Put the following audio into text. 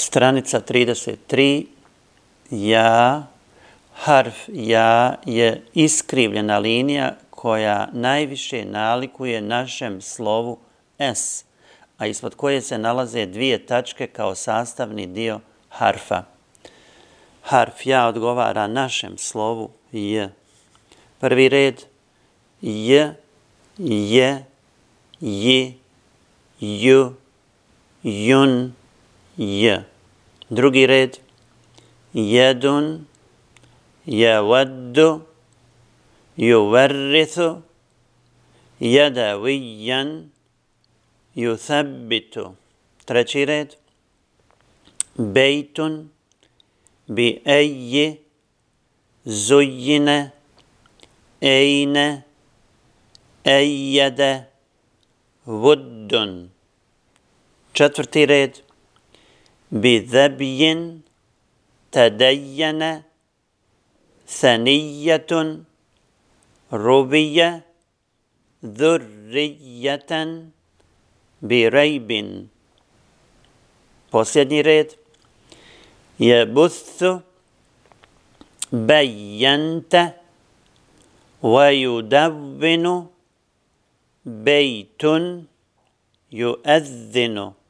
Stranica 33. Ja, harf ja je iskrivljena linija koja najviše nalikuje našem slovu S, a ispod koje se nalaze dvije tačke kao sastavni dio harfa. Harf ja odgovara našem slovu J. Prvi red J, je, ji, ju, jun, j. Drugi red jedun, jewaddu, juvarrithu, jadawijan, juthabbitu. Treći red bejtun, bi eji, zujjine, ejne, ejjede, vuddun. Četvrti red bi zebjin, tadejjene, thanijetun, rubije, dhurrijeten, bi rejbin. Posljednji red jebuthu, bejjente, vajudavvinu, bejtun, juezzinu.